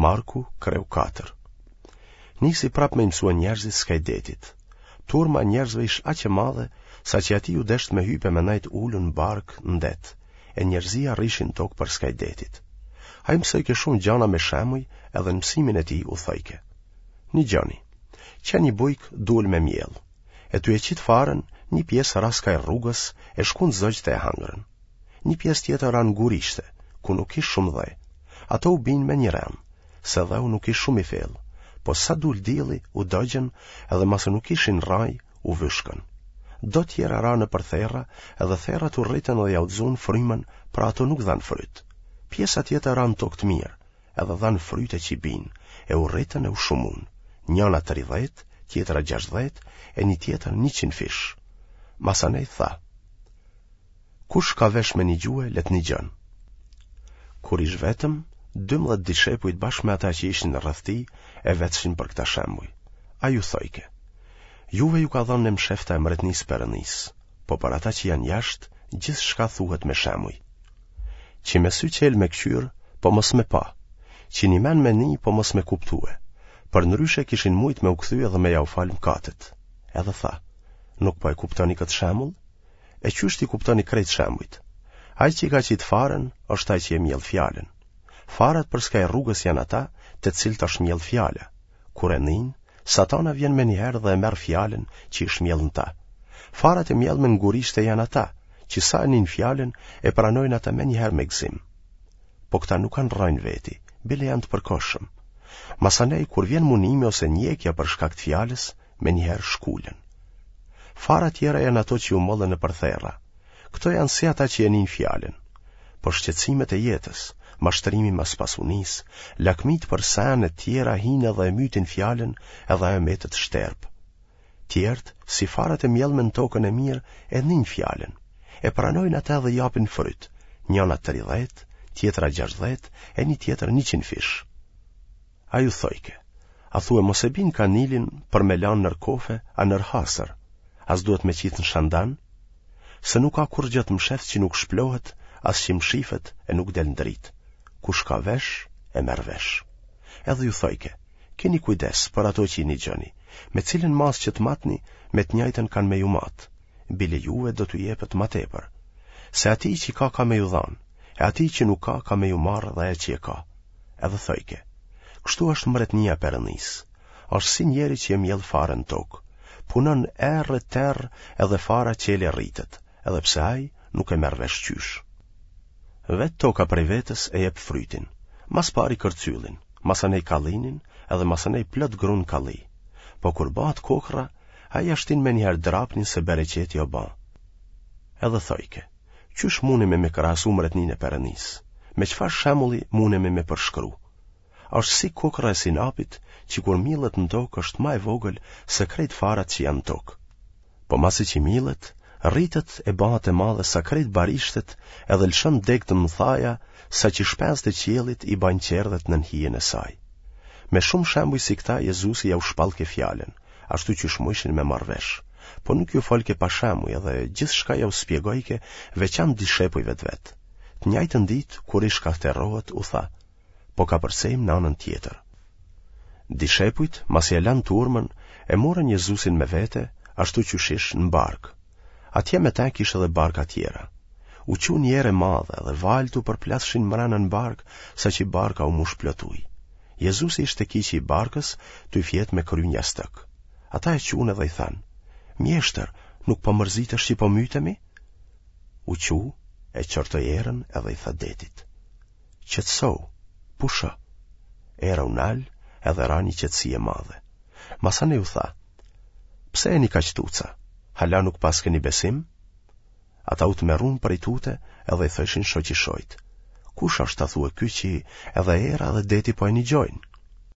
Marku, kreu 4. Nisi prapë me i mësue njerëzit skaj detit. Turma e njerëzve ish aq e madhe, saqë atij iu desht me hypë e me nejt ulun në barkë në det, e njerëzia rrishin në tokë përskaj detit. Ai mësojke shumë gjana me shemuj edhe në mësimin e tij u thojke. Nigjoni, qe një bujk dul me mjellë, e tu e qitë farën, një pjesë ra skaj rrugës e shkun zogjtë e hangrën. Një pjesë tjetër ra në gurishte, ku nuk ish shumë dhe. Ato u binë me një rend, se dheu nuk ish shumë i fellë, po sa dul dielli u dogjën edhe masi nuk kishin rrajë u vyshkën. Do tjera ranë nëpër therra edhe therrat u rritën dhe jau zunë frymën, pra ato nuk dhanë fryt. Pjesa tjetër ra në tokë të mirë, edhe dhanë fryte që i binë, e u rritën e u shumunë, njëna 30, tjetra 60, e një tjetër 100 fish. Masanej tha, Kush ka vesh me nigjue, le të nigjon. Kur ish vetëm, 12 dishepujt bashkë me ata që ishin rreth tij e vetshin për këta shembuj. Ai u thojke, Juve ju ka dhënë e mshefta e mretnisë Perëndisë, po për ata që janë jashtë, gjithçka thuhet me shembuj. Që me sy çelë me këqyrë, po mos me pa, që një men me ni, po mos me kuptue, përndryshe kishin mujtë me u kthy edhe me jau falë mkatet. Edhe tha, nuk po e kuptoni këtë shembull? E qysh t'i kuptoni krejt shembujt? Ai që ka qitë farën, është ai që e mjell fjalën. Farat përskaj rrugës janë ata, te të cilët është mjellë fjala. Kur e nijnë, satana vjen menjëherë dhe e merr fjalën që ish mjellë në ta. Farat e mjellme në gurishte janë ata, që sa e nijnë fjalën, e pranojnë atë menjëherë me gëzim. Po këta nuk kanë rrajë n'veti, bile janë të përkohshëm. Masanej, kur vjen munimi ose ndjekja për shkak të fjalës, menjëherë shkulen. Fara tjera janë ato që u mollën nëpër therra. Këto janë si ata që e nijnë fjalën. Po shqetësimet e jetës, mashtrimi mas pasunisë, lakmitë për sene të tjera hinë edhe e mytin fjalën edhe ajo metet shterpë. Tjerët, si farat e mjellme në tokën e mirë, e nijnë fjalën. E pranojnë atë dhe japin fryt, njëna 30, tjetra 60 e një tjetër 100 fish. Ai u thojke, a thue mos e bin kanilin për me lanë nër kofe a nër hasër, a s'duhet me qitë në shandan? Se nuk ka kurrgjë të msheftë që nuk shplohet, as që mshifet e nuk del në dritë. Kush ka vesh, e merr vesh. Edhe ju thojke, keni kujdes për ato që i nigjoni, me cilën masë që të matni, me të njëjtën kanë me ju matë, bile juve do t'ju jepet ma tepër. Se atij që ka ka me ju dhanë, e atij që nuk ka ka me ju marrë dhe ajo që e ka. Edhe thojke, kështu është mbretnia e Perëndisë. Është si njeri që e mjell farën në tokë. Punon erë e terr edhe fara çel e rritet, edhe pse ai nuk e merr vesh qysh. Vetë toka prej vetes e jep frytin, ma s'pari kërcyllin, masanej kallinin edhe masanej plot grun kalli. Po kur bahet kokrra, ai ia shtin menjëherë drapnin se bereqeti o ba. Edhe thojke, Qysh munemi me krahasu mretninë e Perëndisë? Me çfarë shembulli munemi me përshkru? Është si kokrra e sinapit që kur millet në tokë është ma e vogël se krejt farat që janë në tokë. Po masi që millet, rritet e bahet e madhe sa krejt barishtet edhe lëshon degë të mëdhaja saqë shpenzët e qiellit i bajnë çerdhet nën hijen e saj. Me shumë shembuj si këta Jezusi jau shpallke fjalën, ashtu qysh mujshin me marrë vesh, po nuk ju folke pa shembuj edhe gjithçka jau spjegojke veçan dishepujve të vet. Të njajtën ditë, kur ish kah terrohet, u tha, po kapërcejmë në anën tjetër. Dishepujt, masi e lanë turmën, e morën Jezusin me vete, ashtu qysh ish në barkë. Atje me te kish edhe barka tjera. U çu një erë e madhe dhe valët u përplasshin mrena në barkë, saqë barka u mush plot ujë. Jezusi ishte te kyçi i barkës, tuj fjetë me kry n'jastëk. Ata e çunë edhe i thanë, Mjeshtër, nuk po mërzitesh që po mytemi? U çu, e qortoi erën edhe i tha detit. Qetësohu, pusho. Era u nal edhe ra një qetësi e madhe. Masanej u tha, pse jeni kaq tuca, hala nuk paskeni besim? Ata u tmerrun prej tute edhe i thojshin shoqi shoqit. Kush është a thue ky që edhe era edhe deti po e nigjojnë?